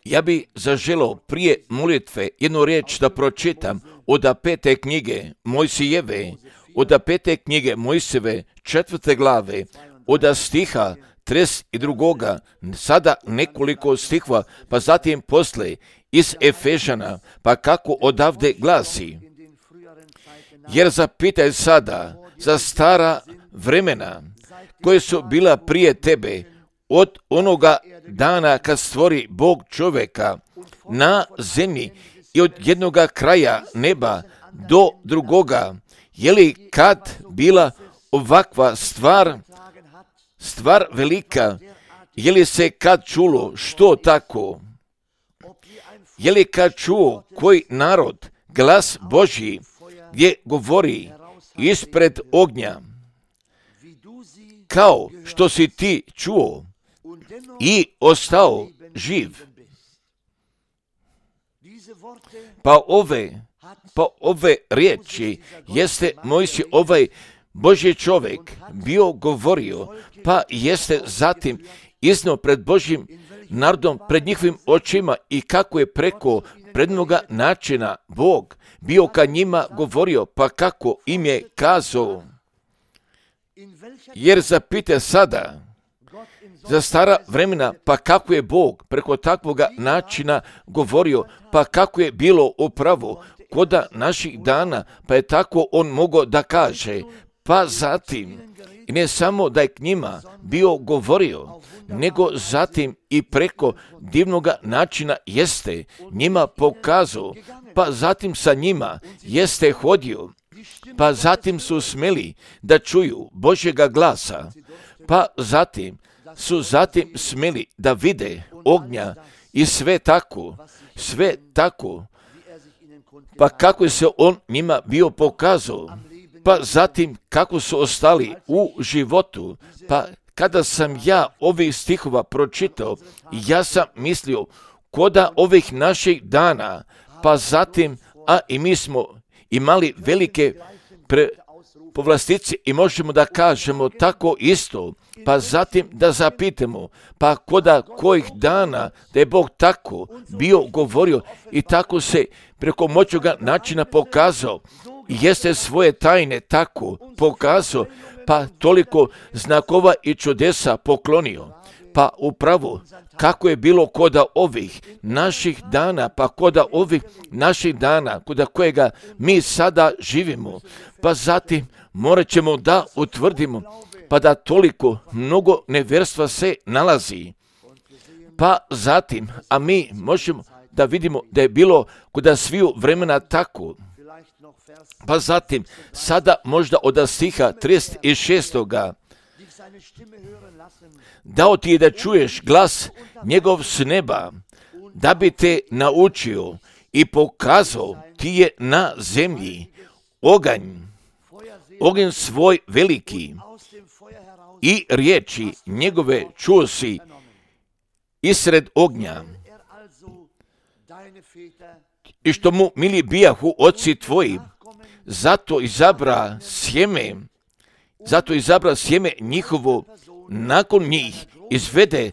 Ja bi zaželio prije molitve jednu riječ da pročitam od 5. knjige Mojsijeve, od 5. knjige Mojsijeve 4. glave, od stiha 32. Sada nekoliko stihova, pa zatim posle iz Efežana, pa kako odavde glasi. Jer zapitaj sada za stara vremena koje su bila prije tebe, od onoga dana kad stvori Bog čovjeka na zemlji i od jednoga kraja neba do drugoga. Je li kad bila ovakva stvar velika? Je li se kad čulo što tako? Je li kad čuo koji narod glas Božji gdje govori ispred ognja, kao što si ti čuo i ostao živ? Pa ove riječi jeste Mojsije, ovaj Božji čovjek bio govorio, pa jeste zatim iznio pred Božjim narodom, pred njihovim očima, i kako je preko prednoga načina Bog bio ka njima govorio, pa kako im je kazao. Jer zapite sada za stara vremena, pa kako je Bog preko takvoga načina govorio, pa kako je bilo upravo koda naših dana, pa je tako on mogao da kaže. Pa zatim, i ne samo da je k njima bio govorio, nego zatim i preko divnoga načina jeste njima pokazao, pa zatim sa njima jeste hodio, pa zatim su smeli da čuju Božjega glasa, pa zatim su smeli da vide ognja i sve tako, pa kako se on njima bio pokazao, pa zatim kako su ostali u životu. Pa kada sam ja ovih stihova pročitao, ja sam mislio koda ovih naših dana, pa zatim, a i mi smo imali velike povlastice i možemo da kažemo tako isto, pa zatim da zapitamo, pa koda kojih dana da je Bog tako bio govorio i tako se preko moćnoga načina pokazao, jeste svoje tajne tako pokazao, pa toliko znakova i čudesa poklonio. Pa upravo kako je bilo koda ovih naših dana, pa koda ovih naših dana, koda kojega mi sada živimo, pa zatim morat ćemo da utvrdimo, pa da toliko mnogo nevjerstva se nalazi. Pa zatim, a mi možemo da vidimo da je bilo koda sviju vremena tako. Pa zatim, sada možda od stiha 36. Dao ti je da čuješ glas njegov s neba, da bi te naučio i pokazao ti je na zemlji oganj svoj veliki, i riječi njegove čuo si isred ognja. I što mu mili bijahu oci tvoji, zato izabra sjeme njihovo nakon njih, izvede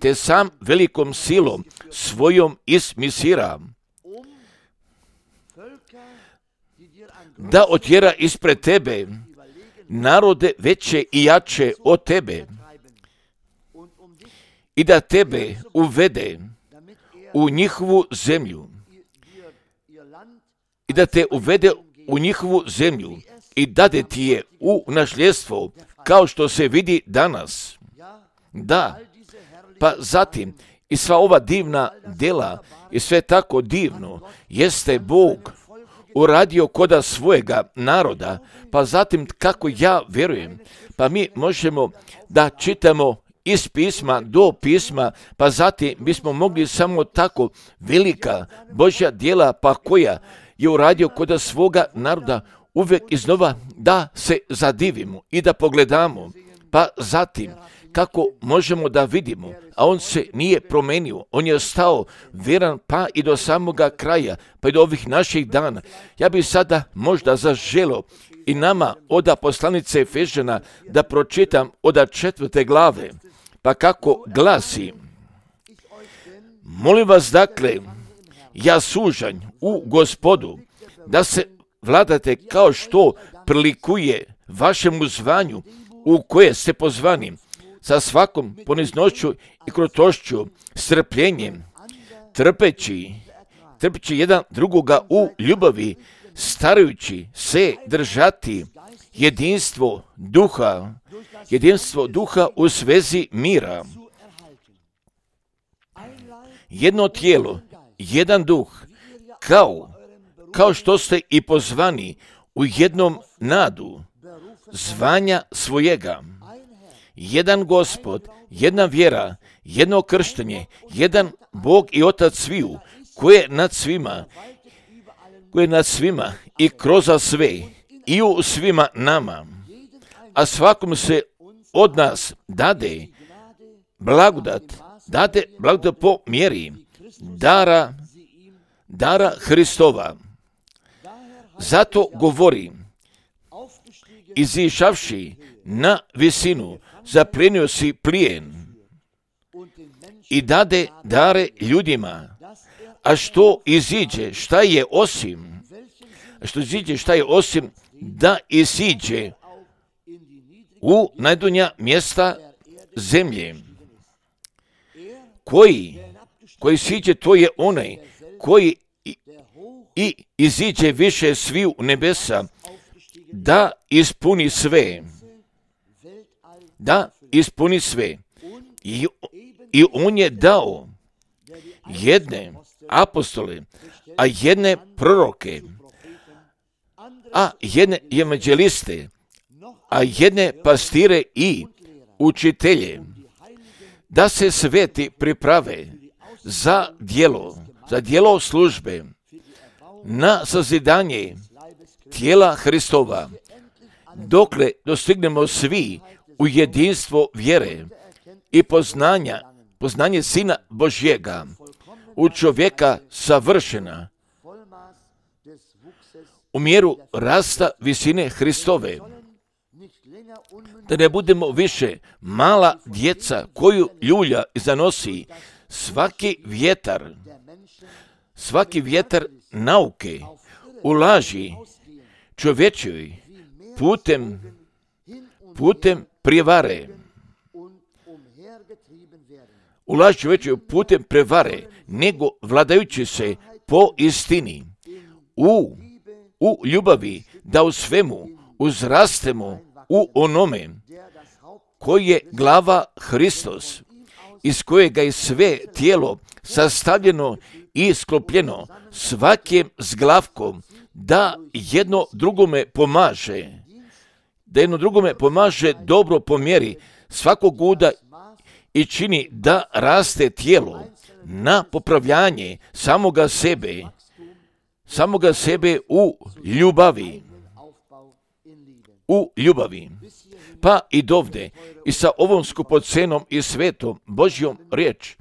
te sam velikom silom svojom iz Misira, da otjera ispred tebe narode veće i jače od tebe, i da tebe uvede u njihovu zemlju, i da te uvede u njihovu zemlju i dade ti je u nasljedstvo, kao što se vidi danas. Da, pa zatim i sva ova divna dela i sve tako divno jeste Bog uradio koda svojega naroda, pa zatim kako ja vjerujem, pa mi možemo da čitamo iz pisma do pisma, pa zatim bismo mogli samo tako velika Božja djela, pa koja je uradio koda svoga naroda, uvijek iznova da se zadivimo i da pogledamo, pa zatim kako možemo da vidimo, a on se nije promenio, on je ostao vjeran pa i do samoga kraja, pa i do ovih naših dana. Ja bih sada možda zaželio i nama od poslanice Efežana da pročitam od 4. glave, pa kako glasi: molim vas dakle, ja sužanj u Gospodu, da se vladate kao što prilikuje vašemu zvanju u koje ste pozvani, sa svakom poniznošću i krotošću, strpljenjem, trpeći jedan drugoga u ljubavi, starajući se držati jedinstvo duha u svezi mira. Jedno tijelo, jedan duh, kao što ste i pozvani u jednom nadu zvanja svojega. Jedan Gospod, jedna vjera, jedno krštenje, jedan Bog i Otac sviju, koji je nad svima i kroz sve i u svima nama. A svakom se od nas dade blagodat po mjeri dara Hristova. Zato govori: izišavši na visinu, zaplijenio si plijen i dade dare ljudima. A što iziđe, šta je osim da isiđe u najdonja mjesta zemlje. Koji siđe, to je onaj koji i iziđe više sviju nebesa, da ispuni sve. I on je dao jedne apostole, a jedne proroke, a jedne evanđeliste, a jedne pastire i učitelje, da se sveti priprave za djelo službe, na sazidanje tijela Hristova, dokle dostignemo svi u jedinstvo vjere i poznanje Sina Božjega, u čovjeka savršena, u mjeru rasta visine Hristove, da ne budemo više mala djeca koju ljulja i zanosi svaki vjetar nauke, ulaži čovječoj putem prevare. Ulaži čovječoj putem prevare, nego vladajući se po istini, u ljubavi, da u svemu uzrastemo u onome koji je glava Hristos, iz kojega je sve tijelo sastavljeno i sklopljeno svakim zglavkom, da jedno drugome pomaže dobro po mjeri svakog uda i čini da raste tijelo na popravljanje samoga sebe u ljubavi. Pa i dovde, i sa ovom skupocenom i svetom Božjom riječ,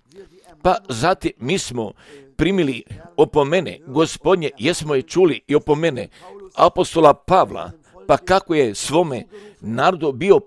pa zatim mi smo primili opomene Gospodnje, jesmo je čuli i opomene apostola Pavla, pa kako je svome narodu bio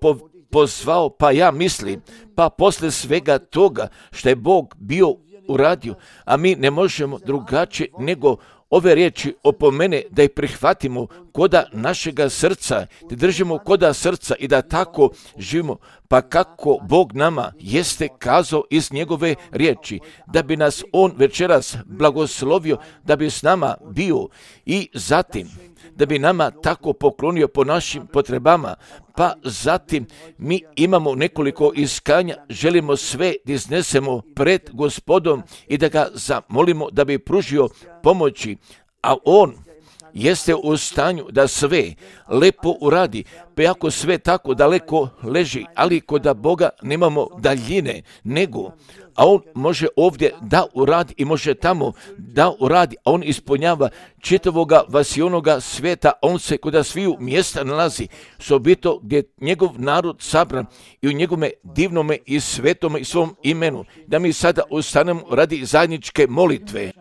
pozvao, pa ja mislim, pa posle svega toga što je Bog bio uradio, a mi ne možemo drugačije nego ove riječi opomene da ih prihvatimo koda našega srca, da držimo koda srca i da tako živimo, pa kako Bog nama jeste kazao iz njegove riječi, da bi nas On večeras blagoslovio, da bi s nama bio i zatim da bi nama tako poklonio po našim potrebama, pa zatim mi imamo nekoliko iskanja, želimo sve da iznesemo pred Gospodom i da ga zamolimo da bi pružio pomoći, a On jeste u stanju da sve lepo uradi, pa ako sve tako daleko leži, ali kod Boga nemamo daljine, nego, a On može ovdje da uradi i može tamo da uradi, a On ispunjava čitavoga vasionoga svijeta, On se kod sviju mjesta nalazi, sobito gdje je njegov narod sabran i u njegovome divnome i svetome i svom imenu, da mi sada ustanemo radi zajedničke molitve.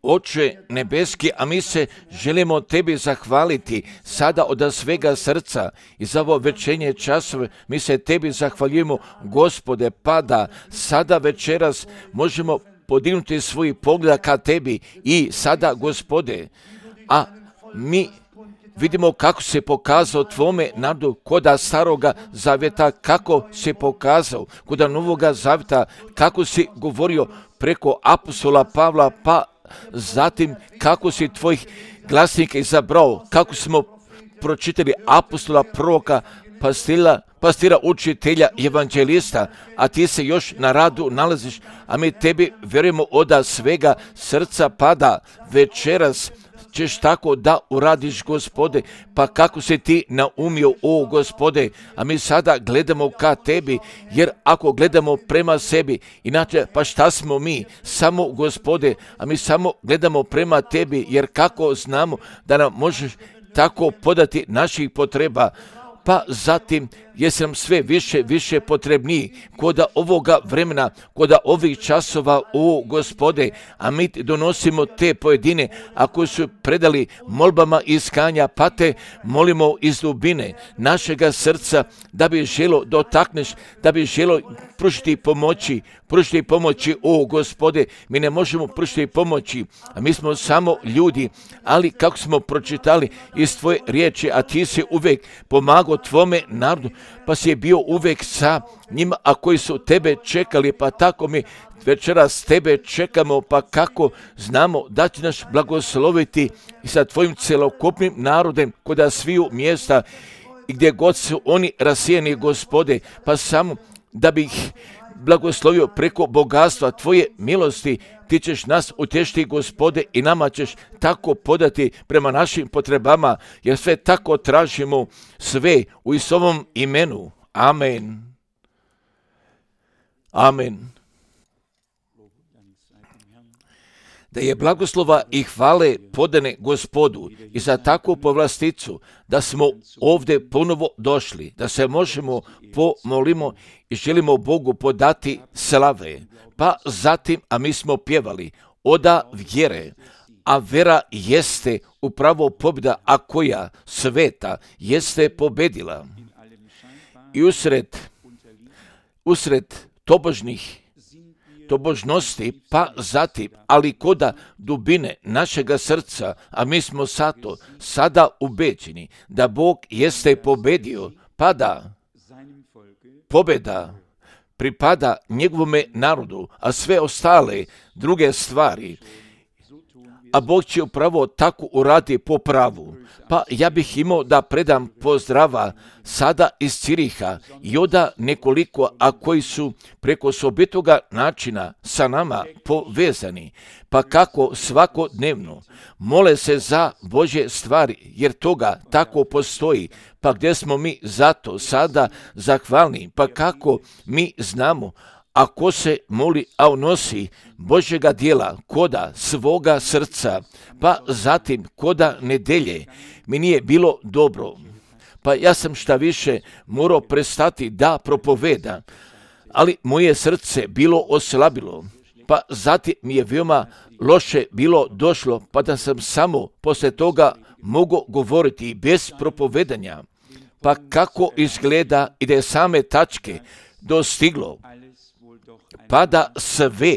Oče nebeski, a mi se želimo Tebi zahvaliti sada od svega srca i za ovo večernje časove. Mi se Tebi zahvaljujemo, Gospode, pa da sada večeras možemo podignuti svoj pogled ka Tebi i sada, Gospode, a mi vidimo kako se pokazao Tvome narodu koda staroga zavjeta, kako se pokazao koda novoga zavjeta, kako si govorio preko apostola Pavla, pa zatim kako si Tvojih glasnika izabrao, kako smo pročitali apostola, proroka, pastira, učitelja, evanđelista, a Ti se još na radu nalaziš, a mi Tebi vjerujemo od svega srca, pada večeras ćeš tako da uradiš, Gospode, pa kako se Ti naumio, o Gospode, a mi sada gledamo ka Tebi, jer ako gledamo prema sebi, inače pa šta smo mi, samo, Gospode, a mi samo gledamo prema Tebi, jer kako znamo da nam možeš tako podati naših potreba, pa zatim jesi nam sve više potrebniji koda ovoga vremena, koda ovih časova, o Gospode, a mi donosimo te pojedine, ako su predali molbama iskanja, pa te molimo iz dubine našega srca da bi želo dotakneš, da bi želo pružiti pomoći, o Gospode, mi ne možemo pružiti pomoći, a mi smo samo ljudi, ali kako smo pročitali iz Tvoje riječi, a Ti si uvijek pomagao Tvome narodu, pa si je bio uvijek sa njima, a koji su Tebe čekali, pa tako mi večeras Tebe čekamo, pa kako znamo da će nas blagosloviti i sa Tvojim celokupnim narodem koda sviju mjesta i gdje god su oni rasijeni, Gospode, pa samo da bi ih blagoslovio preko bogatstva Tvoje milosti. Ti ćeš nas utješiti, Gospode, i nama ćeš tako podati prema našim potrebama, jer sve tako tražimo, sve u Isusovom imenu. Amen. Amen. Da je blagoslova i hvale podane Gospodu i za takvu povlasticu, da smo ovdje ponovo došli, da se možemo pomolimo i želimo Bogu podati slave. Pa zatim, a mi smo pjevali oda vjere, a vera jeste upravo pobjeda, a koja sveta jeste pobedila. I usred tobožnosti, pa zatim, ali koda dubine našega srca, a mi smo sada ubeđeni da Bog jeste pobedio, pa da pobjeda pripada njegovome narodu, a sve ostale druge stvari, a Bog će upravo tako uradi po pravu. Pa ja bih imao da predam pozdrava sada iz Ciriha i oda nekoliko, a koji su preko osobitoga načina sa nama povezani, pa kako svakodnevno mole se za Božje stvari, jer toga tako postoji, pa gdje smo mi zato sada zahvalni, pa kako mi znamo, ako se moli, a unosi Božjega djela koda svoga srca, pa zatim koda nedelje mi nije bilo dobro, pa ja sam šta više morao prestati da propoveda, ali moje srce bilo oslabilo, pa zatim mi je veoma loše bilo došlo, pa da sam samo poslije toga mogao govoriti bez propovedanja, pa kako izgleda i da je same tačke dostiglo, pa da sve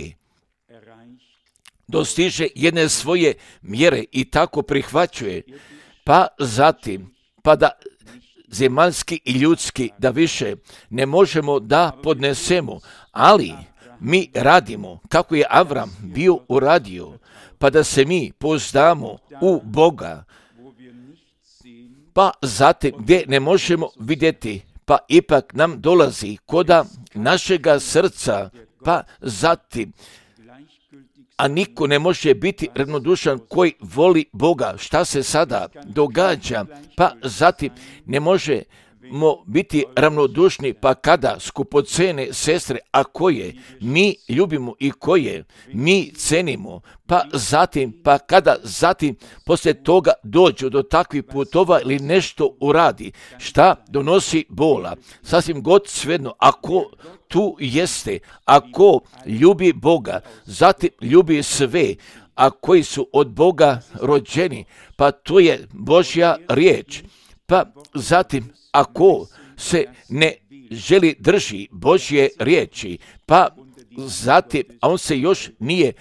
dostiže jedne svoje mjere i tako prihvaćuje, pa zatim, pa da zemaljski i ljudski da više ne možemo da podnesemo, ali mi radimo kako je Avram bio uradio, pa da se mi pouzdamo u Boga, pa zatim gdje ne možemo vidjeti, pa ipak nam dolazi koda našega srca, pa zatim, a niko ne može biti ravnodušan koji voli Boga. Šta se sada događa? Pa zatim ne možemo biti ravnodušni, pa kada skupocene sestre, a koje mi ljubimo i koje mi cenimo, pa zatim, pa kada zatim poslije toga dođu do takvih putova ili nešto uradi, šta donosi bola, sasvim god svejedno, ako tu jeste, ako ljubi Boga, zatim ljubi sve, a koji su od Boga rođeni, pa to je Božja riječ. Pa zatim, ako se ne želi drži Božje riječi, pa zatim, a on se još nije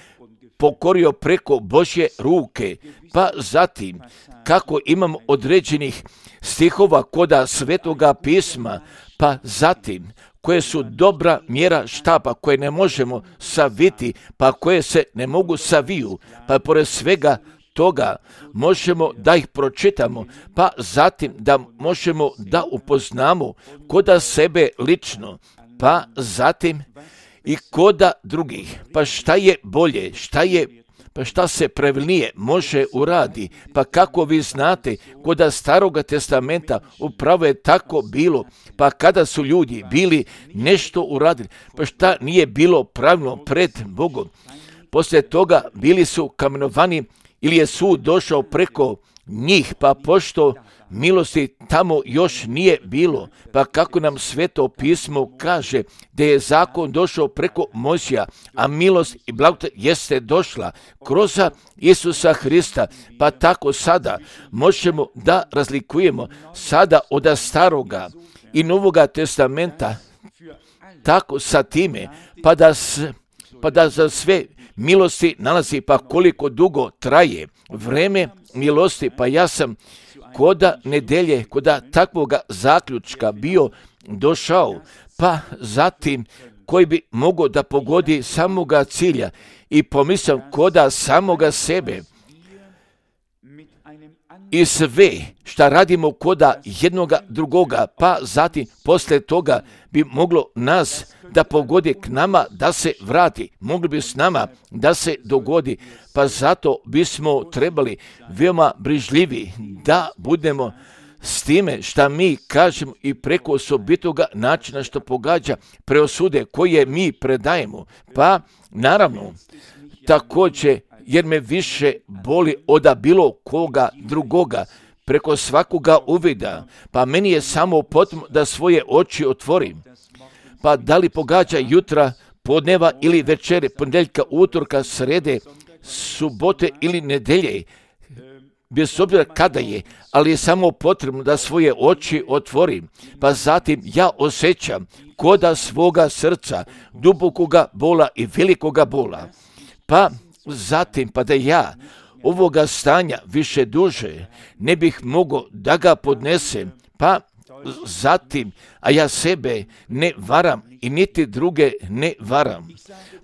pokorio preko Božje ruke, pa zatim, kako imamo određenih stihova koda Svetoga pisma, pa zatim, koje su dobra mjera štapa, koje ne možemo saviti, pa koje se ne mogu saviju, pa pored svega toga možemo da ih pročitamo, pa zatim da možemo da upoznamo koda sebe lično, pa zatim i koda drugih. Pa šta je bolje, šta se pravilnije može uradi, pa kako vi znate, koda Staroga testamenta upravo je tako bilo, pa kada su ljudi bili nešto uradili, pa šta nije bilo pravilno pred Bogom. Poslije toga bili su kamenovani ili je sud došao preko njih, pa pošto milosti tamo još nije bilo, pa kako nam Sveto pismo kaže da je zakon došao preko Mojsija, a milost i blagodat jeste došla kroz Isusa Hrista, pa tako sada možemo da razlikujemo sada od Staroga i Novoga testamenta, tako sa time, pa da za sve milosti nalazi, pa koliko dugo traje vreme milosti, pa ja sam koda nedelje, koda takvoga zaključka bio došao, pa zatim koji bi mogao da pogodi samoga cilja i pomislim koda samoga sebe i sve šta radimo koda jednoga drugoga, pa zatim poslije toga bi moglo nas da pogodi k nama da se vrati, mogli bi s nama da se dogodi, pa zato bismo trebali veoma brižljivi da budemo s time šta mi kažemo i preko osobitoga načina što pogađa preosude koje mi predajemo. Pa naravno, također, jer me više boli od bilo koga drugoga, preko svakoga uvida, pa meni je samo potrebno da svoje oči otvorim. Pa da li pogađa jutra, podneva ili večere, ponedjeljka, utorka, srede, subote ili nedelje, bez obzira kada je, ali je samo potrebno da svoje oči otvorim. Pa zatim ja osjećam koda svoga srca, dubokoga bola i velikoga bola. Pa zatim, pa da ja ovoga stanja više duže ne bih mogao da ga podnesem, pa zatim, a ja sebe ne varam i niti druge ne varam.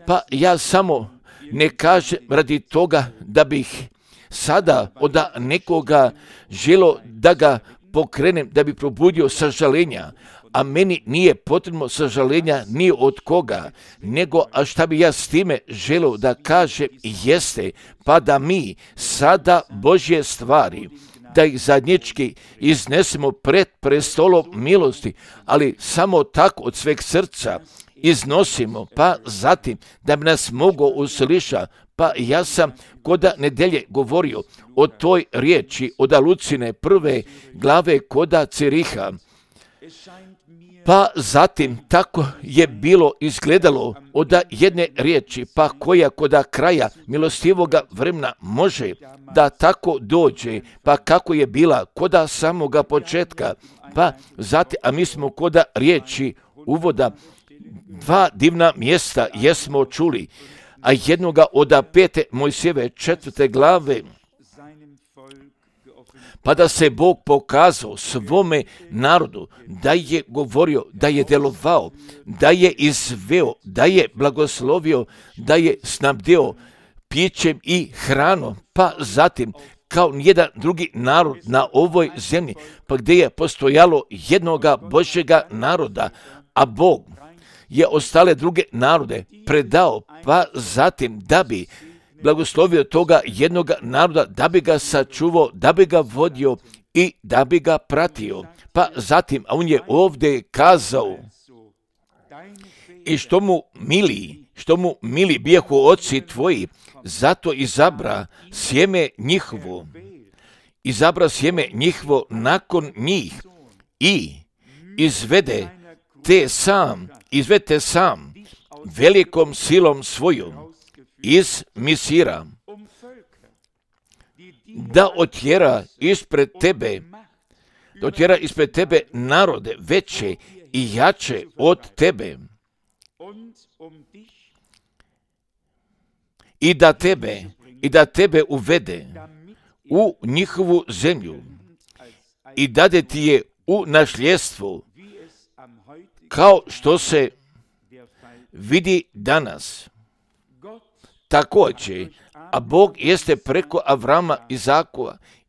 Pa ja samo ne kažem radi toga da bih sada od nekoga želo da ga pokrenem, da bi probudio sažalenja, a meni nije potrebno sažalenja ni od koga, nego a šta bi ja s time želio da kažem jeste, pa da mi sada Božje stvari, da ih zajednički iznesemo pred prestolom milosti, ali samo tako od sveg srca iznosimo, pa zatim da bi nas mogao uslišati. Pa ja sam koda nedelje govorio o toj riječi od Lucine 1. glave koda Ciriha. Pa zatim tako je bilo izgledalo od jedne riječi, pa koja koda kraja milostivoga vremena može da tako dođe, pa kako je bila koda samoga početka, pa zatim, a mi smo koda riječi uvoda dva divna mjesta jesmo čuli, a jednoga od 5. Mojsijeve 4. glave, pa da se Bog pokazao svome narodu, da je govorio, da je delovao, da je izveo, da je blagoslovio, da je snabdeo pićem i hranom, pa zatim kao nijedan drugi narod na ovoj zemlji, pa gdje je postojalo jednoga Božjega naroda, a Bog je ostale druge narode predao, pa zatim da bi blagoslovio toga jednoga naroda, da bi ga sačuvao, da bi ga vodio i da bi ga pratio. Pa zatim, a on je ovdje kazao, i što mu mili bijahu oci tvoji, zato izabra sjeme njihovo nakon njih i izvede sam velikom silom svojom iz Misira, da otjera ispred tebe narode veće i jače od tebe i da tebe uvede u njihovu zemlju i dade ti je u nasljedstvo, kao što se vidi danas. Također, a Bog jeste preko Avrama,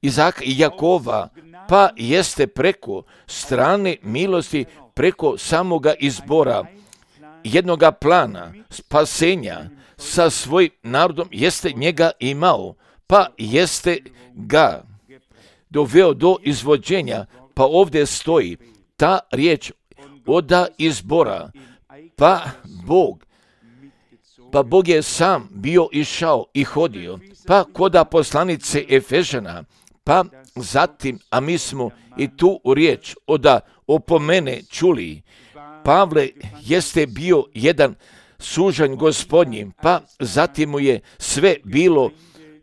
Izaka i Jakova, pa jeste preko strane milosti, preko samoga izbora, jednoga plana spasenja sa svojim narodom, jeste njega imao, pa jeste ga doveo do izvođenja. Pa ovdje stoji ta riječ oda izbora, pa Bog je sam bio išao i hodio, pa koda poslanice Efežana, pa zatim, a mi smo i tu riječ oda opomene čuli, Pavle jeste bio jedan sužanj Gospodnji, pa zatim mu je sve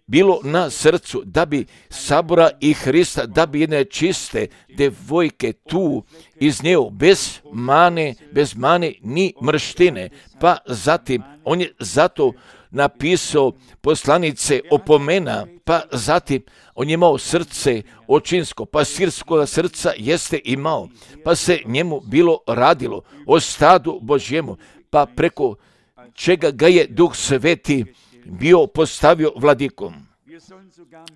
bilo na srcu, da bi sabora i Hrista, da bi jedne čiste devojke tu iznio bez mane ni mrštine. Pa zatim on je zato napisao poslanice opomena, pa zatim on je imao srce očinsko, pa sirskoga srca jeste imao, pa se njemu bilo radilo o stadu Božjemu, pa preko čega ga je Duh Sveti bio postavio vladikom.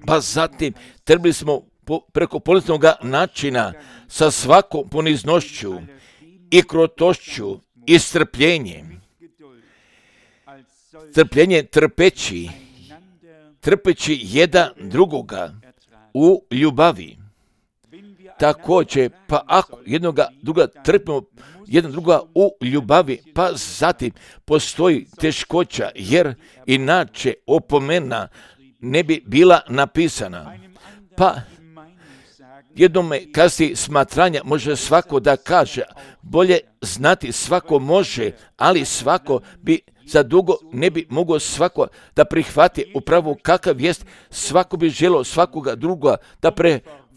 Pa zatim trebali smo preko poniznog načina sa svakom poniznošću i krotošću i strpljenjem trpeći jedan drugoga u ljubavi. Također, pa ako jednoga druga trpimo jedan druga u ljubavi, pa zatim postoji teškoća, jer inače opomena ne bi bila napisana. Pa jednome kasnije smatranja može svako da kaže, bolje znati svako može, ali svako bi za dugo ne bi mogao svako da prihvati upravo kakav jest, svako bi želio svakoga druga da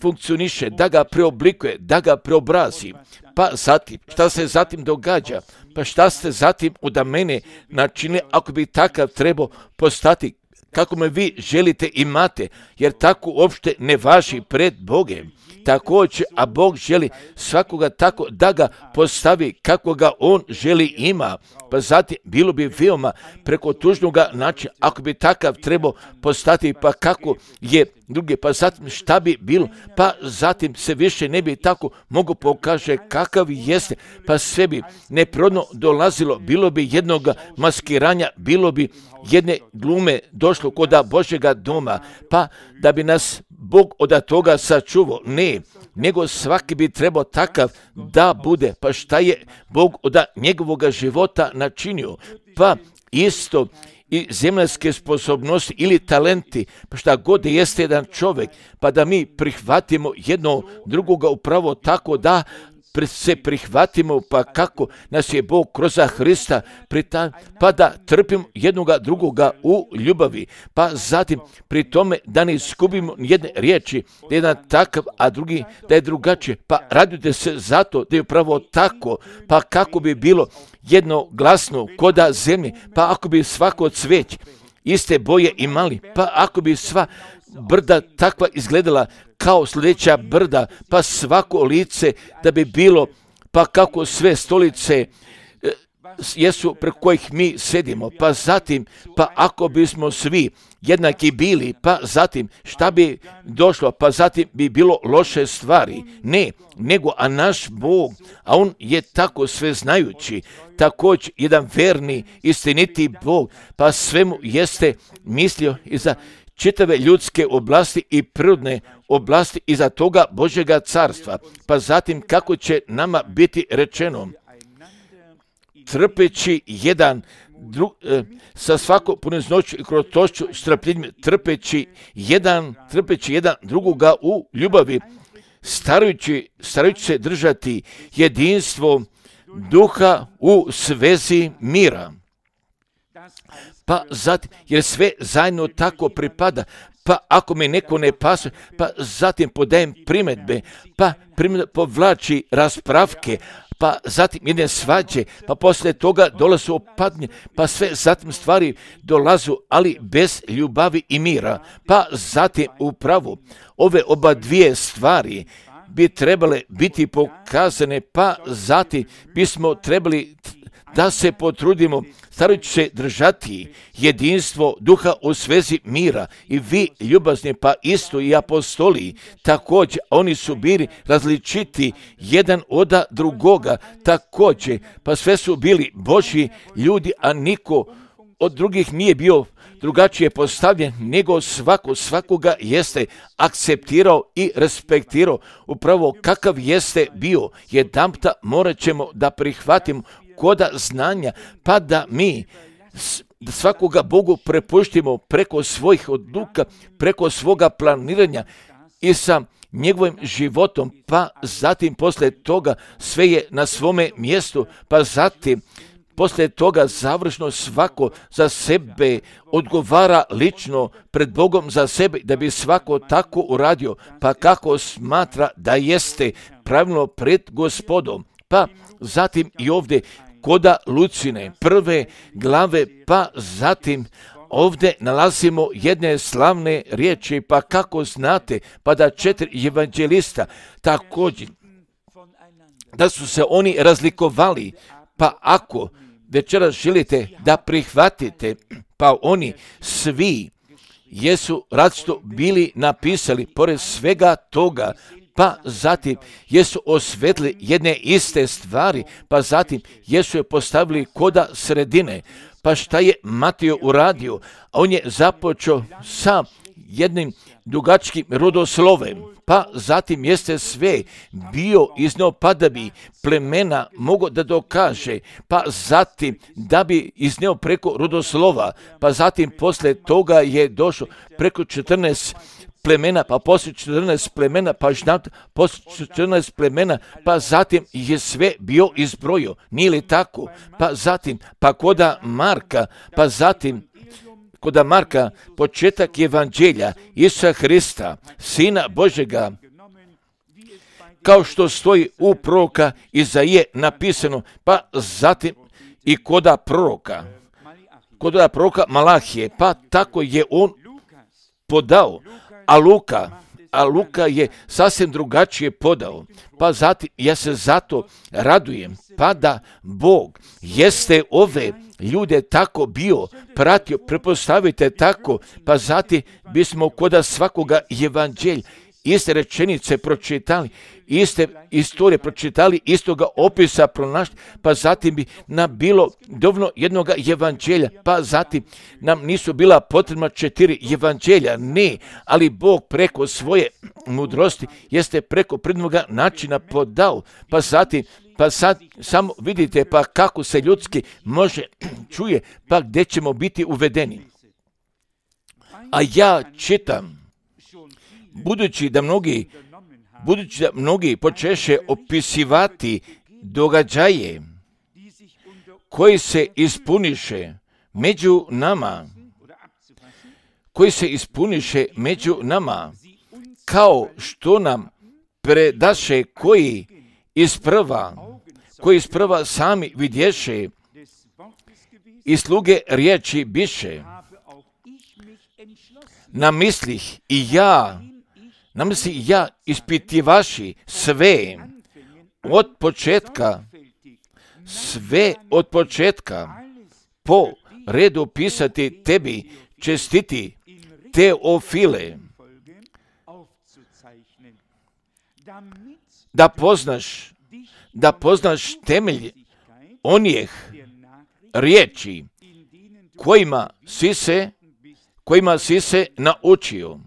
funkcioniše, da ga preoblikuje, da ga preobrazi. Pa zatim, šta se zatim događa? Pa šta ste zatim od mene načinili ako bi takav trebao postati kako me vi želite imate, jer tako uopšte ne važi pred Bogem. Također, a Bog želi svakoga tako da ga postavi kako ga on želi ima. Pa zatim, bilo bi veoma preko tužnoga načina, ako bi takav trebao postati, pa kako je drugi, pa zatim šta bi bilo, pa zatim se više ne bi tako mogu pokaže kakav jeste, pa sve bi neprirodno dolazilo, bilo bi jednog maskiranja, bilo bi jedne glume došlo koda Božjega doma, pa da bi nas Bog od toga sačuvao. Ne, nego svaki bi trebao takav da bude. Pa šta je Bog od njegovog života načinio? Pa isto i zemaljske sposobnosti ili talenti, pa šta god jeste jedan čovjek, pa da mi prihvatimo jedno drugoga upravo tako da se prihvatimo, pa kako nas je Bog kroz Hrista pa da trpimo jednoga drugoga u ljubavi, pa zatim pri tome da ne izgubimo jedne riječi, da je jedan takav, a drugi da je drugačije, pa radujte se zato da je upravo tako, pa kako bi bilo jednoglasno koda zemlje, pa ako bi svako cveć iste boje imali, pa ako bi sva brda takva izgledala kao sljedeća brda, pa svako lice da bi bilo, pa kako sve stolice jesu preko kojih mi sedimo, pa zatim, pa ako bismo svi jednaki bili, pa zatim šta bi došlo, pa zatim bi bilo loše stvari. Ne, nego a naš Bog, a on je tako sve znajući, također jedan verni, istiniti Bog, pa svemu jeste mislio i za čitave ljudske oblasti i prirodne oblasti iza toga Božjega carstva. Pa zatim kako će nama biti rečeno, trpeći jedan sa svakom poniznošću i krotošću, strpljenjem, trpeći jedan drugoga u ljubavi, starajući se držati jedinstvo duha u svezi mira. Pa zatim, jer sve zajedno tako pripada, pa ako me neko ne pasuje, pa zatim podajem primjedbe, pa povlači raspravke, pa zatim jedne svađe, pa poslije toga dolazu opadnje, pa sve zatim stvari dolazu, ali bez ljubavi i mira. Pa zatim upravo ove oba dvije stvari bi trebale biti pokazane, pa zatim bismo trebali da se potrudimo starajući se držati jedinstvo duha u svezi mira. I vi ljubazni, pa isto i apostoli, također oni su bili različiti jedan od drugoga, također, pa sve su bili Božji ljudi, a niko od drugih nije bio drugačije postavljen, nego svakoga jeste akceptirao i respektirao upravo kakav jeste bio. Jedanputa morat ćemo da prihvatimo koda znanja, pa da mi svakoga Bogu prepuštimo preko svojih odluka, preko svoga planiranja i sa njegovim životom, pa zatim poslije toga sve je na svome mjestu, pa zatim poslije toga završno svako za sebe odgovara lično pred Bogom za sebe, da bi svako tako uradio, pa kako smatra da jeste pravilno pred Gospodom. Pa zatim i ovdje koda Lucine prve glave, pa zatim ovdje nalazimo jedne slavne riječi, pa kako znate, pa da 4 evanđelista također, da su se oni razlikovali, pa ako večeras želite da prihvatite, pa oni svi jesu različito bili napisali, pored svega toga, pa zatim jesu osvetli jedne iste stvari, pa zatim jesu je postavili koda sredine. Pa šta je Matio uradio? On je započeo sa jednim dugačkim rodoslovem, pa zatim jeste sve bio iznio, pa da bi plemena mogao da dokaže, pa zatim da bi iznio preko rodoslova, pa zatim poslije toga je došlo preko 14 plemena, pa poslije 14 plemena, pa poslije 14 plemena, pa zatim je sve bio izbrojio. Nije li tako? Pa zatim, pa koda Marka, pa zatim koda Marka, početak evanđelja Isusa Hrista, Sina Božjega, kao što stoji u proroka Izaije napisano, pa zatim i koda proroka Malahije, pa tako je on podao, a Luka je sasvim drugačije podao. Pa zatim, ja se zato radujem, pa da Bog jeste ove ljude tako bio pratio, prepostavite tako, pa zatim bismo koda svakoga evanđelja iste rečenice pročitali, iste istorije pročitali, istoga opisa pronašli, pa zatim bi nam bilo dovoljno jednog evanđelja, pa zatim nam nisu bila potrebna 4 evanđelja, ne, ali Bog preko svoje mudrosti jeste preko prednoga načina podao, pa sad samo vidite pa kako se ljudski može čuje, pa gdje ćemo biti uvedeni. A ja čitam, budući da mnogi počeše opisivati događaje koji se ispuniše među nama, kao što nam predaše koji isprva sami vidješe i sluge riječi biše, namislih i ja ispitivaši sve od početka po redu pisati tebi čestiti Teofile, da poznaš temelj onih riječi kojima si se naučio.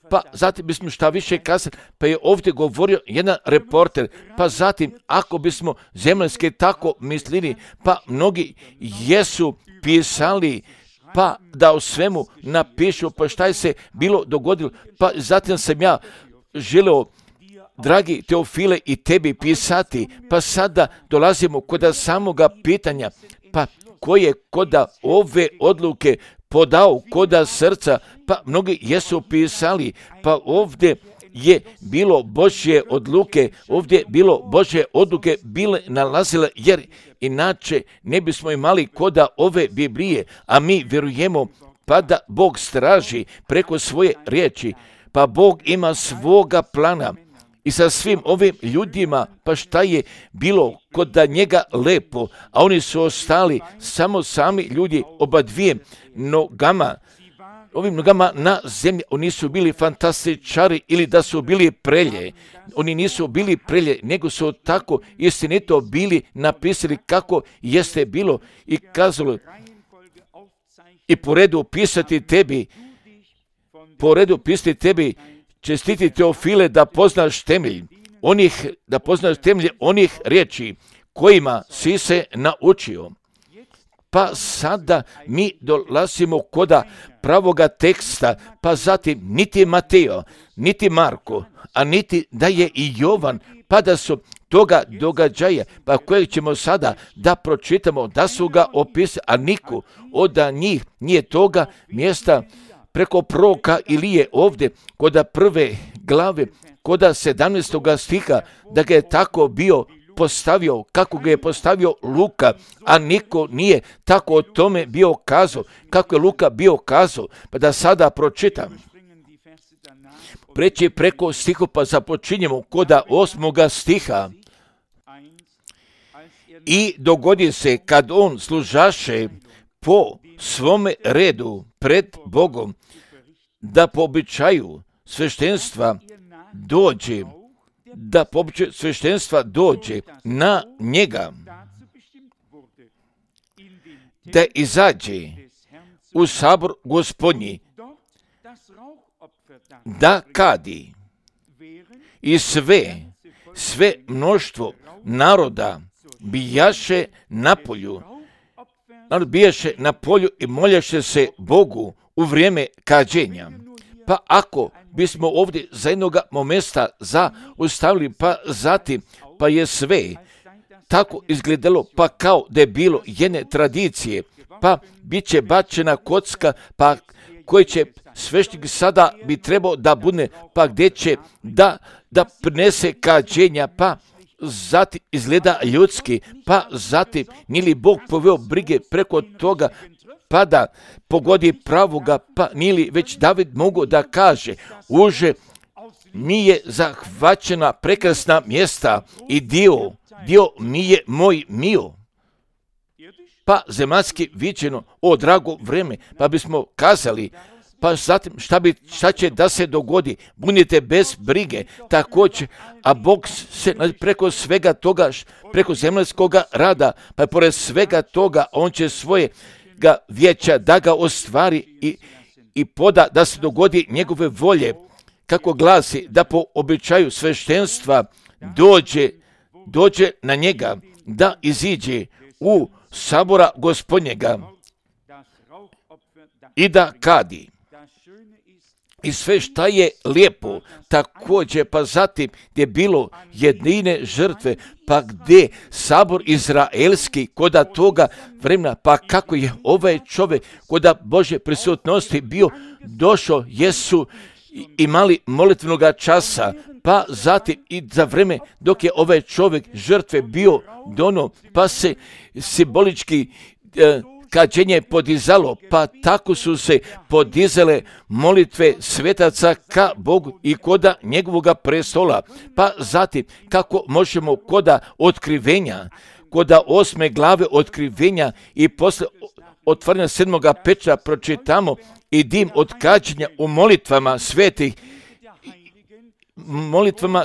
Pa zatim bismo šta više kazali, pa je ovdje govorio jedan reporter, pa zatim ako bismo zemaljski tako mislili, pa mnogi jesu pisali, pa da o svemu napišu, pa šta je se bilo dogodilo, pa zatim sam ja želeo, dragi Teofile, i tebi pisati, pa sada dolazimo kod samoga pitanja, pa koje koda ove odluke podao koda srca, pa mnogi jesu pisali, pa ovdje je bilo Božje odluke, ovdje bilo Božje odluke bile nalazile, jer inače ne bismo imali koda ove Biblije, a mi vjerujemo pa da Bog straži preko svoje riječi, pa Bog ima svoga plana i sa svim ovim ljudima, pa šta je bilo kod njega lepo, a oni su ostali samo sami ljudi oba dvije nogama, ovim nogama na zemlji. Oni su bili fantastičari ili da su bili prelje. Oni nisu bili prelje, nego su tako istinito bili napisali kako jeste bilo i kazalo. I po redu pisati tebi, čestiti Teofile da poznaš temelje onih riječi kojima si se naučio. Pa sada mi dolazimo koda pravoga teksta, pa zatim niti Mateo, niti Marko, a niti da je i Jovan, pa da su toga događaja, pa kojeg ćemo sada da pročitamo, da su ga opisali, a niko od njih nije toga mjesta preko proroka Ilije ovdje, koda prve glave, koda 17. stiha, da ga je tako bio postavio, kako ga je postavio Luka, a niko nije tako o tome bio kazao, kako je Luka bio kazao, pa da sada pročitam. Preći preko stihu, pa započinjemo koda 8. stiha. I dogodi se kad on služaše po svome redu pred Bogom, da po običaju sveštenstva dođe na njega, da izađe u sabor Gospodnji, da kadi i sve mnoštvo naroda bijaše na polju. Narod bijaše na polju i moljaše se Bogu u vrijeme kađenja. Pa ako bismo ovdje za jednoga momenta zaustavili, pa zatim, pa je sve tako izgledalo, pa kao da je bilo jedne tradicije, pa bit će bačena kocka, pa koji će sveštenik sada bi trebao da bude, pa gdje će da prinese kađenja, pa zatim izgleda ljudski, pa zatim nije li Bog poveo brige preko toga, pa da pogodi pravoga, pa nije li već David mogao da kaže, uže mi je zahvaćena prekrasna mjesta i dio mi je moj mio. Pa zemaljski viđeno, o drago vreme, pa bismo kazali, pa zatim šta će da se dogodi, budite bez brige, također, a Bog se preko svega toga, preko zemaljskoga rada, pa pored svega toga, on će svojega vijeća da ga ostvari i poda da se dogodi njegove volje, kako glasi, da po običaju sveštenstva dođe na njega, da iziđe u sabora Gospodnjega i da kadi. I sve šta je lijepo, također, pa zatim gdje je bilo jedine žrtve, pa gdje sabor izraelski koda toga vremena, pa kako je ovaj čovjek koda Božje prisutnosti bio došao, jesu imali molitvenoga časa, pa zatim i za vreme dok je ovaj čovjek žrtve bio dono, pa se simbolički kađenje podizalo, pa tako su se podizale molitve svetaca ka Bogu i koda njegovoga prestola. Pa zatim, kako možemo koda otkrivenja, koda 8. glave otkrivenja i posle otvaranja 7. peča pročitamo i dim od kađenja u molitvama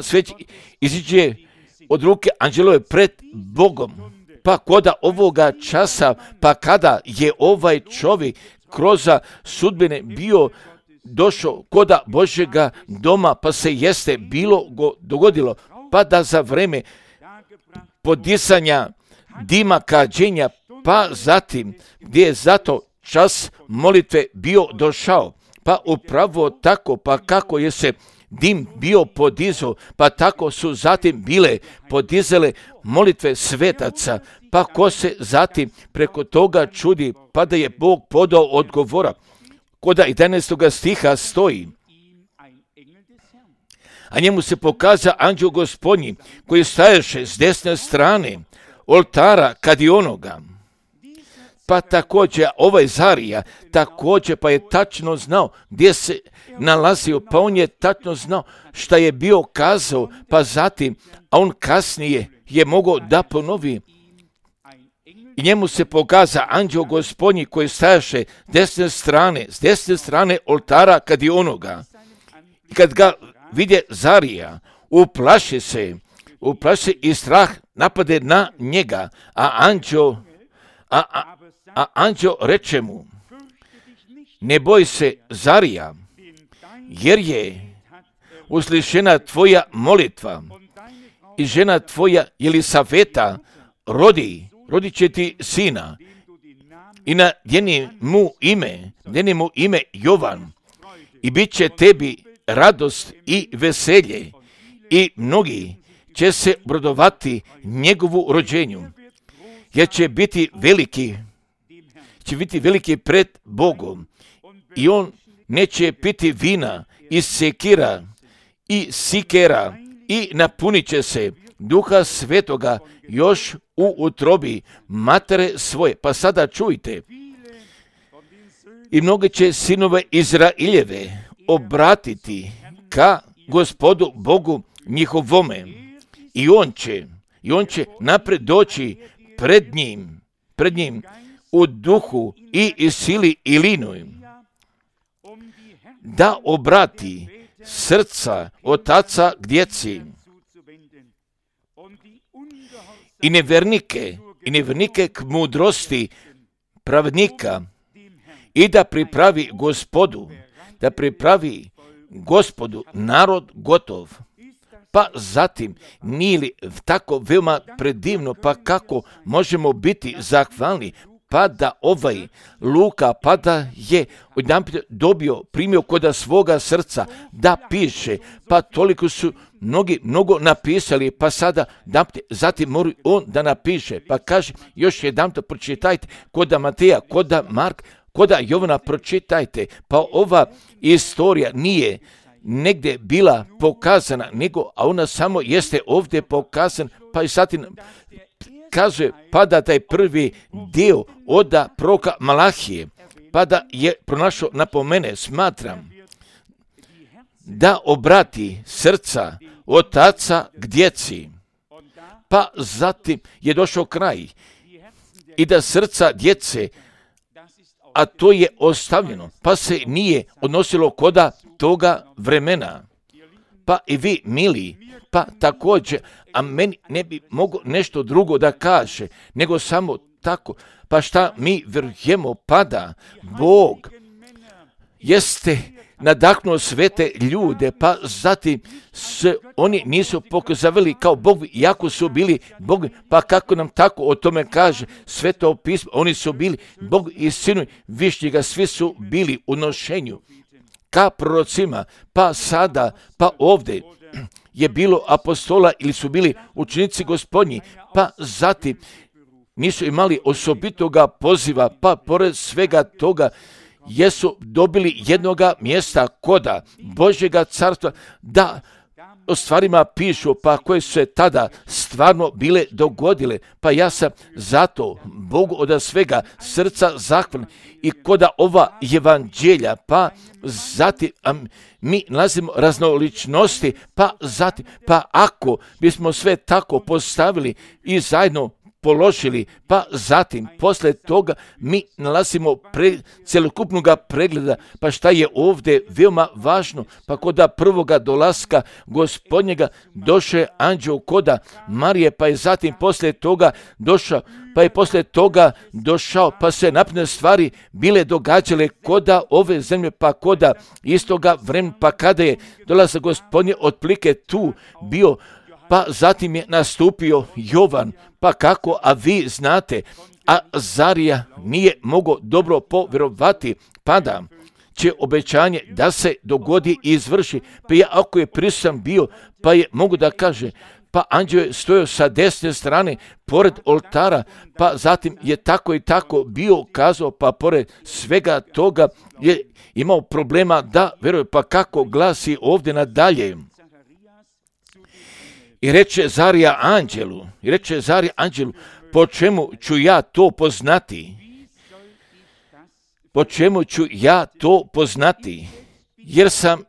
svetih, iziđe od ruke anđelove pred Bogom. Pa koda ovoga časa, pa kada je ovaj čovjek kroz sudbine bio došao koda Božjega doma, pa se jeste bilo dogodilo, pa da za vreme podisanja dima kađenja, pa zatim gdje je zato čas molitve bio došao, pa upravo tako, pa kako je se dim bio podizao, pa tako su zatim bile podizale molitve svetaca, Pa ko se zatim preko toga čudi, pa da je Bog podao odgovora. Koda 11. stiha stoji, a njemu se pokaza anđeo Gospodnji, koji staješe s desne strane oltara kadionoga. Pa također ovaj Zarija, također pa je tačno znao gdje se nalazio, pa on je tačno znao šta je bio kazao, pa zatim, a on kasnije je mogao da ponovi. I njemu se pokaza anđeo Gospodnji koji stajaše s desne strane oltara kadionoga. I kad ga vidje Zarija, uplaši se i strah napade na njega, a anđeo reče mu, ne boj se Zarija, jer je uslišena tvoja molitva i žena tvoja Jelisaveta rodit će ti sina i nadjeni mu ime Jovan i bit će tebi radost i veselje i mnogi će se obradovati njegovu rođenju, jer će biti veliki pred Bogom i on neće piti vina i sekira i sikera i napunit će se Duha Svetoga još u utrobi matere svoje. Pa sada čujte, i mnogi će sinove Izraeljeve obratiti ka Gospodu Bogu njihovome i on će napred doći pred njim u duhu i sili i linoj, da obrati srca otaca k djeci i nevernike k mudrosti pravednika i da pripravi Gospodu narod gotov. Pa zatim, nije li tako veoma predivno, pa kako možemo biti zahvalni, pa da ovaj Luka, pa da je odjedanput primio koda svoga srca da piše, pa toliko su mnogo napisali, pa sada zatim mora on da napiše, pa kaže još jedanput pročitajte koda Mateja, koda Mark, koda Jovana pročitajte, pa ova istorija nije negdje bila pokazana, a ona samo jeste ovdje pokazana, pa i zatim kazuje, pa da taj prvi dio od proroka Malahije, pa da je pronašao napomene, smatram, da obrati srca otaca k djeci, pa zatim je došao kraj i da srca djece, a to je ostavljeno, pa se nije odnosilo koda toga vremena. Pa i vi, mili, pa također, a meni ne bi mogao nešto drugo da kaže, nego samo tako. Pa šta mi vjerujemo, pa da Bog jeste nadahnuo svete ljude, pa zatim se oni nisu pokazavali kao Bog, iako su bili Bog, pa kako nam tako o tome kaže Sveto pismo, oni su bili Bog i Sinu Višnjega, svi su bili u nošenju ka prorocima, pa sada, pa ovdje je bilo apostola ili su bili učenici Gospodnji, pa zatim nisu imali osobitoga poziva, pa pored svega toga jesu dobili jednoga mjesta koda Božjega carstva da o stvarima pišu, pa koje su se tada stvarno bile dogodile. Pa ja sam zato Bogu od svega srca zahvalan i koda ova evanđelja, pa zatim mi nalazimo raznoličnosti, pa zatim, pa ako bismo sve tako postavili i zajedno položili, pa zatim poslije toga mi nalazimo cjelokupnog pregleda, pa šta je ovdje veoma važno, pa koda prvoga dolaska Gospodnjega došao je anđeo koda Marije, pa je zatim poslije toga došao, pa se napredne stvari bile događale koda ove zemlje, pa koda istoga vremena, pa kada je dolazak Gospodnje otplike tu bio, pa zatim je nastupio Jovan, pa kako, a vi znate, a Zarija nije mogao dobro povjerovati, pa da će obećanje da se dogodi i izvrši, pa ja ako je prisutan bio, pa je mogu da kaže, pa anđeo je stojao sa desne strane pored oltara, pa zatim je tako i tako bio kazao, pa pored svega toga je imao problema da veruje, pa kako glasi ovdje nadalje. I reče Zarija anđelu, po čemu ću ja to poznati? Po čemu ću ja to poznati? Jer sam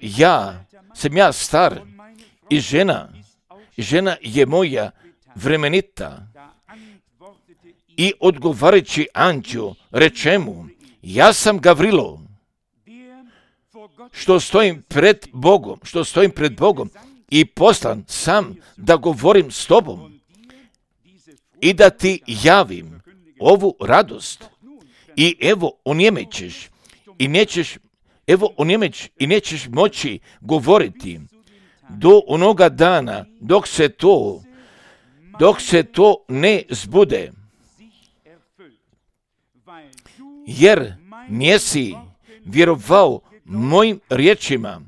ja star i žena je moja vremenita. I odgovarajući anđeo reče mu, ja sam Gavrilo, što stojim pred Bogom i poslan sam da govorim s tobom i da ti javim ovu radost. I evo onjemećeš i nećeš moći govoriti do onoga dana dok se to ne zbude, jer nisi vjerovao mojim riječima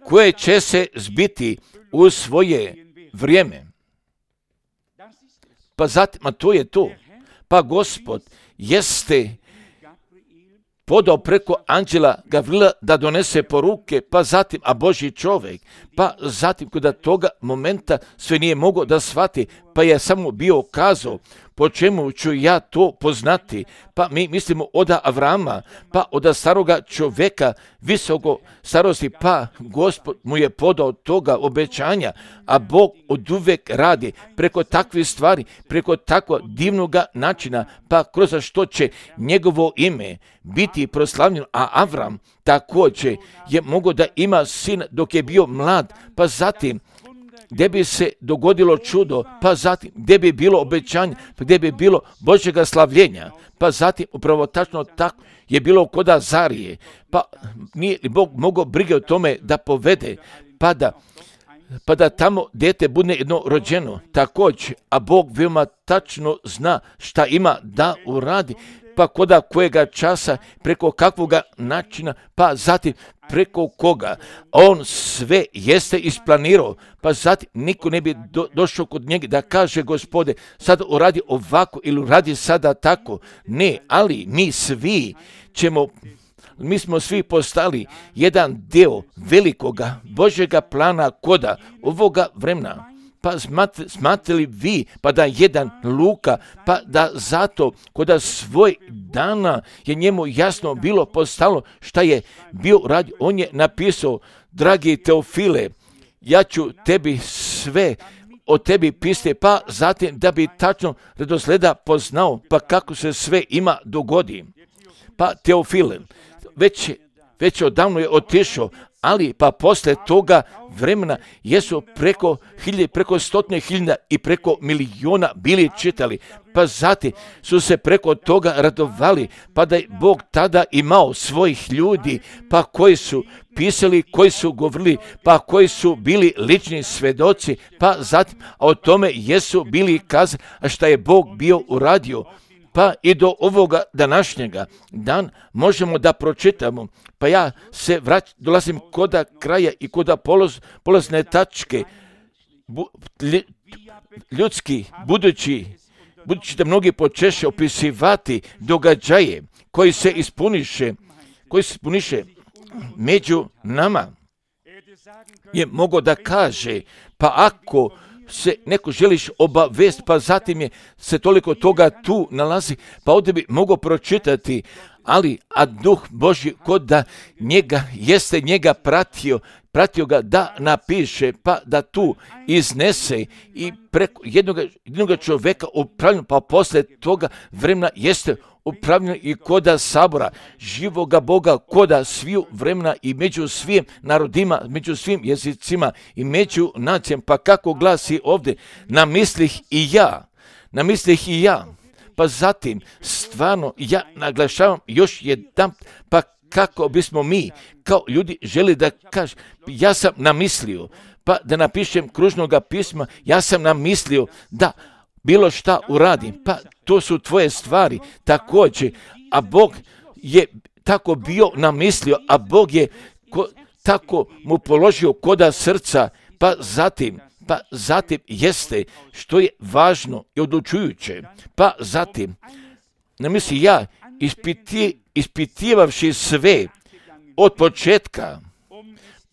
koje će se zbiti u svoje vrijeme. Pa zatim, a to je to. Pa Gospod jeste podao preko anđela Gavrila da donese poruke, pa zatim, a Božji čovjek, pa zatim kod toga momenta sve nije mogao da shvati, pa je samo bio kazao, po čemu ću ja to poznati? Pa mi mislimo od Avrama, pa od staroga čovjeka visoko starosti, pa Gospod mu je podao toga obećanja, a Bog oduvijek radi preko takvih stvari, preko tako divnoga načina, pa kroz što će njegovo ime biti proslavljeno, a Avram također je mogao da ima sin dok je bio mlad, pa zatim gdje bi se dogodilo čudo, pa zatim gdje bi bilo obećanje, pa gdje bi bilo Božjega slavljenja, pa zatim upravo tačno tako je bilo kod Zarije, pa nije Bog mogao brige o tome da povede, pa da tamo dete bude jedno rođeno također, a Bog veoma tačno zna šta ima da uradi, pa koda kojega časa, preko kakvoga načina, pa zatim preko koga. On sve jeste isplanirao, pa zatim niko ne bi došao kod njega da kaže, Gospode, sad uradi ovako ili uradi sada tako. Ne, ali mi smo svi postali jedan dio velikoga Božjega plana koda ovoga vremena. Pa smatrali vi, pa da jedan Luka, pa da zato koda svoj dana je njemu jasno bilo postalo šta je bio radio. On je napisao, dragi Teofile, ja ću tebi sve o tebi pisati, pa zatim da bi tačno redosleda poznao, pa kako se sve ima dogodi. Pa Teofile, već odavno je otišao, ali pa posle toga vremena jesu preko 100.000 i preko miliona bili čitali, pa zatim su se preko toga radovali, pa da je Bog tada imao svojih ljudi, pa koji su pisali, koji su govorili, pa koji su bili lični svedoci, pa zatim o tome jesu bili kazali, a šta je Bog bio uradio. Pa i do ovoga današnjega dan možemo da pročitamo, pa ja se dolazim koda kraja i koda polazne tačke, ljudski, budući da mnogi počeše opisivati događaje koji se ispuniše među nama, je mogao da kaže, pa ako se neko želiš obavest, pa zatim je se toliko toga tu nalazi, pa ovdje bi mogao pročitati, a Duh Božji kod da njega pratio ga da napiše, pa da tu iznese i preko jednog čovjeka upravljeno, pa posle toga vremena jeste upravljeno i koda sabora, živoga Boga, koda sviju vremena i među svim narodima, među svim jezicima i među nacijama, pa kako glasi ovdje, namislih i ja, pa zatim stvarno ja naglašavam još jedan, pa kako bismo mi kao ljudi želi da kažem, ja sam namislio, pa da napišem kružnoga pisma, ja sam namislio da bilo šta uradim, pa to su tvoje stvari također, a Bog je tako bio namislio, a Bog je tako mu položio koda srca, pa zatim pa zatim jeste što je važno i odlučujuće, pa zatim, ne misli ja, ispitivavši sve od početka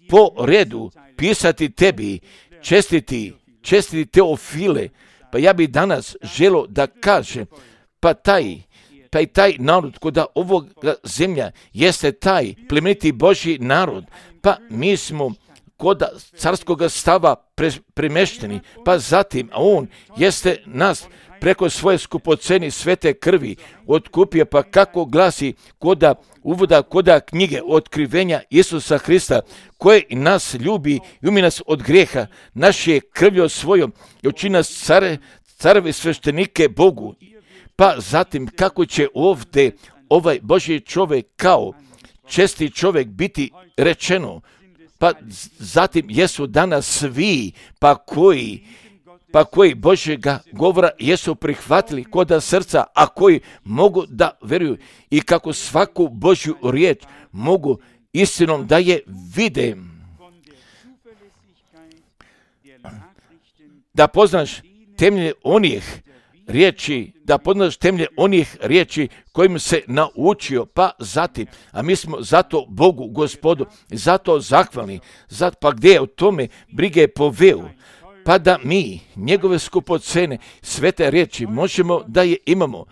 po redu pisati tebi, čestiti Teofile, pa ja bi danas želio da kažem, pa taj narod koda ovoga zemlja jeste taj plemeniti Božji narod, pa mi smo koda carskoga stava premešteni, pa zatim, a on jeste nas preko svoje skupoceni svete krvi otkupio, pa kako glasi koda uvoda koda knjige otkrivenja Isusa Hrista, koje nas ljubi i umi nas od grijeha, naše krvlju svojom i učini nas carevi sveštenike Bogu. Pa zatim kako će ovdje ovaj Božji čovjek kao česti čovjek biti rečeno, pa zatim jesu danas svi pa koji Božjega govora jesu prihvatili koda srca, a koji mogu da vjeruju i kako svaku Božju riječ mogu istinom da je vide. Da poznaš temelje onih riječi kojim se naučio, pa zatim, a mi smo zato Bogu, Gospodu, zato zahvalni, pa gdje je o tome brige poveo, pa da mi, njegove skupocene, svete riječi, možemo da je imamo.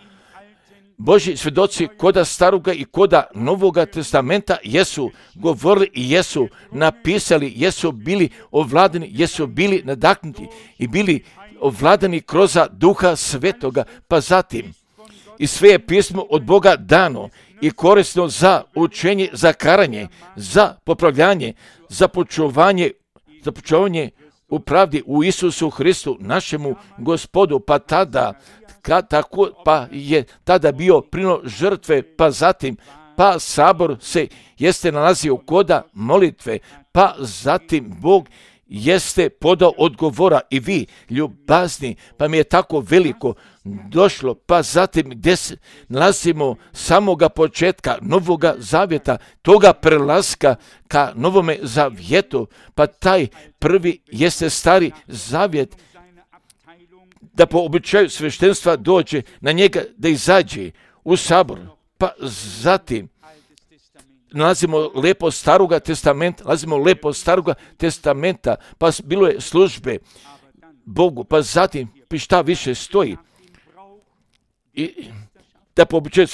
Božji svjedoci koda staroga i koda novoga testamenta jesu govorili i jesu napisali, jesu bili ovladani, jesu bili nadahnuti i bili ovladani kroz Duha Svetoga, pa zatim i sve je pismo od Boga dano i korisno za učenje, za karanje, za popravljanje, za počuvanje u pravdi u Isusu Hristu, našemu Gospodu, pa je tada bio prino žrtve, pa zatim, pa sabor se jeste nalazio koda molitve, pa zatim Bog jeste podao odgovora i vi, ljubazni, pa mi je tako veliko došlo, pa zatim gdje se nalazimo samoga početka Novoga Zavjeta, toga prelaska ka Novome Zavjetu, pa taj prvi jeste Stari Zavjet, da po običaju sveštenstva dođe na njega, da izađe u sabor, pa zatim nalazimo lepo staroga testamenta, pa bilo je službe Bogu, pa zatim šta više stoji. I da po običaju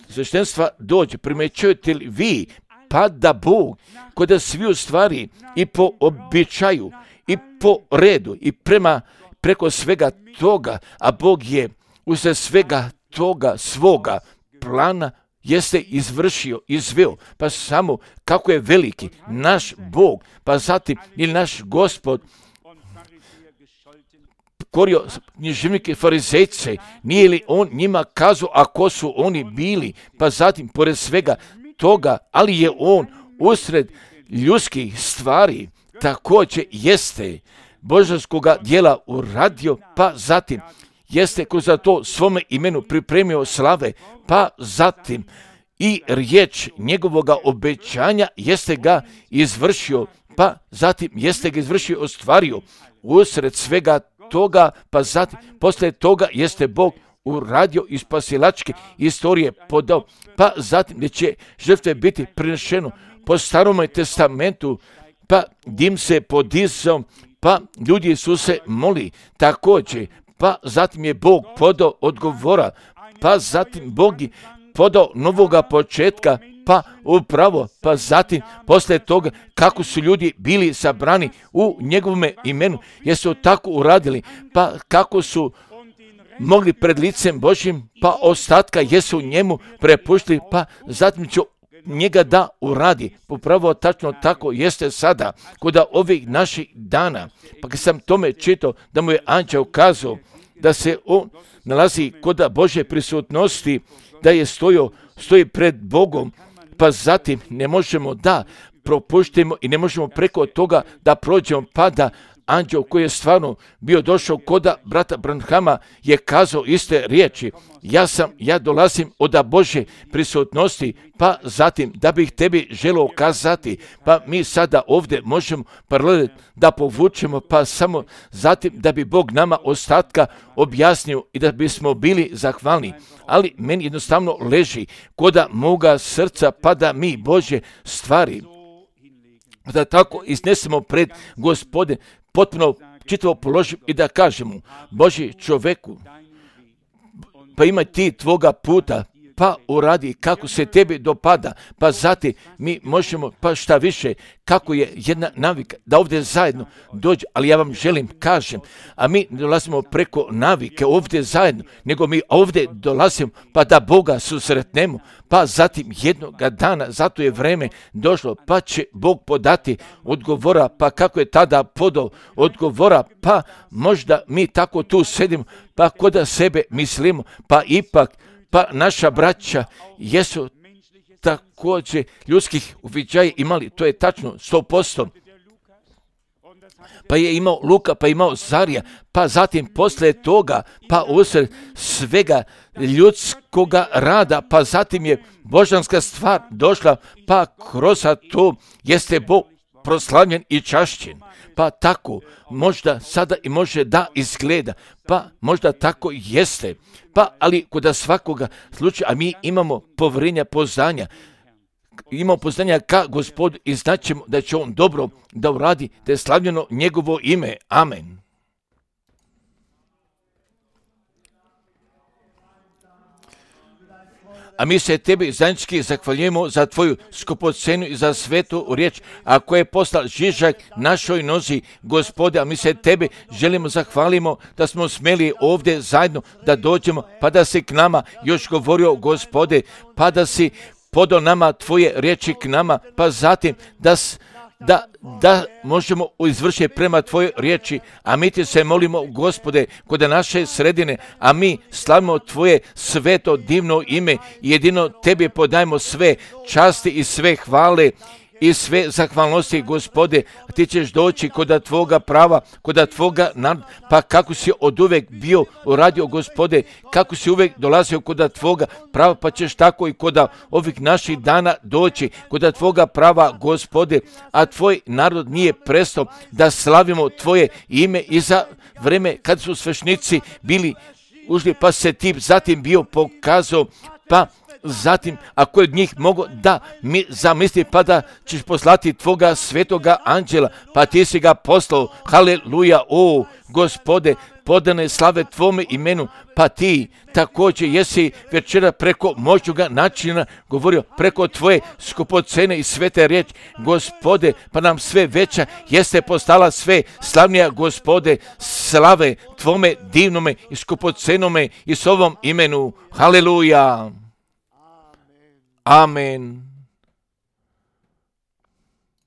sveštenstva dođe, primećujete li vi, pa da Bog kod svi u stvari i po običaju i po redu i preko svega toga, a Bog je usred svega toga svoga plana jeste izveo, pa samo kako je veliki naš Bog, pa zatim ili naš Gospod korio književnike farizejce, nije li on njima kazao, a ko su oni bili, pa zatim pored svega toga, ali je on usred ljudskih stvari također jeste božanskoga djela uradio, pa zatim jeste kroz to svome imenu pripremio slave, pa zatim i riječ njegovoga obećanja jeste ga izvršio, pa zatim jeste ga izvršio, ostvario usred svega toga, pa zatim poslije toga jeste Bog uradio iz spasilačke istorije podao, pa zatim gdje će žrtve biti prinešeno po Starome testamentu, pa dim se podizao, pa ljudi su se moli također, pa zatim je Bog podao odgovora, pa zatim Bog je podao novoga početka, pa upravo, pa zatim poslije toga kako su ljudi bili sabrani u njegovome imenu, jesu tako uradili, pa kako su mogli pred licem Božjim, pa ostatka jesu njemu prepuštili, pa zatim će njega da uradi. Upravo tačno tako jeste sada, kod ovih naših dana, pa kad sam tome čitao da mu je anđeo kazao da se on nalazi kod Božje prisutnosti, da je stoji pred Bogom, pa zatim ne možemo da propuštimo i ne možemo preko toga da prođemo, pa da anđeo koji je stvarno bio došao koda brata Branhama je kazao iste riječi. Ja dolazim od Božje prisutnosti, pa zatim da bih tebi želio kazati, pa mi sada ovdje možemo paralel da povučemo, pa samo zatim da bi Bog nama ostatka objasnio i da bismo bili zahvalni. Ali meni jednostavno leži koda moga srca, pa da mi Božje stvari da tako iznesemo pred Gospode, potpuno čitavo položim i da kažemo, Boži čoveku, pa imaj ti tvoga puta, pa uradi kako se tebi dopada, pa zatim mi možemo, pa šta više, kako je jedna navika, da ovdje zajedno dođe, ali ja vam želim, kažem, a mi ne dolazimo preko navike ovdje zajedno, nego mi ovdje dolazimo, pa da Boga susretnemo, pa zatim jednoga dana, zato je vreme došlo, pa će Bog podati odgovora, pa kako je tada podao odgovora, pa možda mi tako tu sedimo, pa koda sebe mislimo, pa ipak, pa naša braća jesu također ljudskih uviđaja imali, to je tačno 100%. Pa je imao Luka, pa je imao Zarija, pa zatim poslije toga, pa usred svega ljudskoga rada, pa zatim je božanska stvar došla, pa kroz to jeste Bog proslavljen i čašćen. Pa tako možda sada i može da izgleda, pa možda tako jeste, pa ali kod svakoga slučaja, a mi imamo povjerenja, poznanja, imamo poznanja ka Gospodu i znaćemo da će on dobro da uradi, da je slavljeno njegovo ime. Amen. A mi se tebi zajednički zahvaljujemo za tvoju skupocenu i za svetu riječ, a koja je poslala žižak našoj nozi, Gospode, a mi se tebi želimo zahvalimo da smo smeli ovdje zajedno da dođemo, pa da si k nama još govorio, Gospode, pa da si podao nama tvoje riječi k nama, pa zatim da možemo izvršiti prema tvojoj riječi, a mi ti se molimo, Gospode, kod naše sredine, a mi slavimo tvoje sveto divno ime i jedino tebi podajemo sve časti i sve hvale i sve zahvalnosti, Gospode, a ti ćeš doći kod tvoga prava, kod tvoga naroda, pa kako si od uvek bio uradio, Gospode, kako si uvek dolazio kod tvoga prava, pa ćeš tako i kod ovih naših dana doći kod tvoga prava, Gospode, a tvoj narod nije prestao da slavimo tvoje ime i za vreme kad su svešnici bili ušli, pa se ti zatim bio pokazao, pa zatim, ako je od njih mogo da mi zamisli, pa da ćeš poslati tvoga svetoga anđela, pa ti si ga poslao, haleluja, o Gospode, podane slave tvome imenu, pa ti također jesi večera preko moćnoga načina govorio, preko tvoje skupocene i svete riječi, Gospode, pa nam sve veća jeste postala sve slavnija, Gospode, slave tvome divnome i skupocenome i s ovom imenu, haleluja. Amen.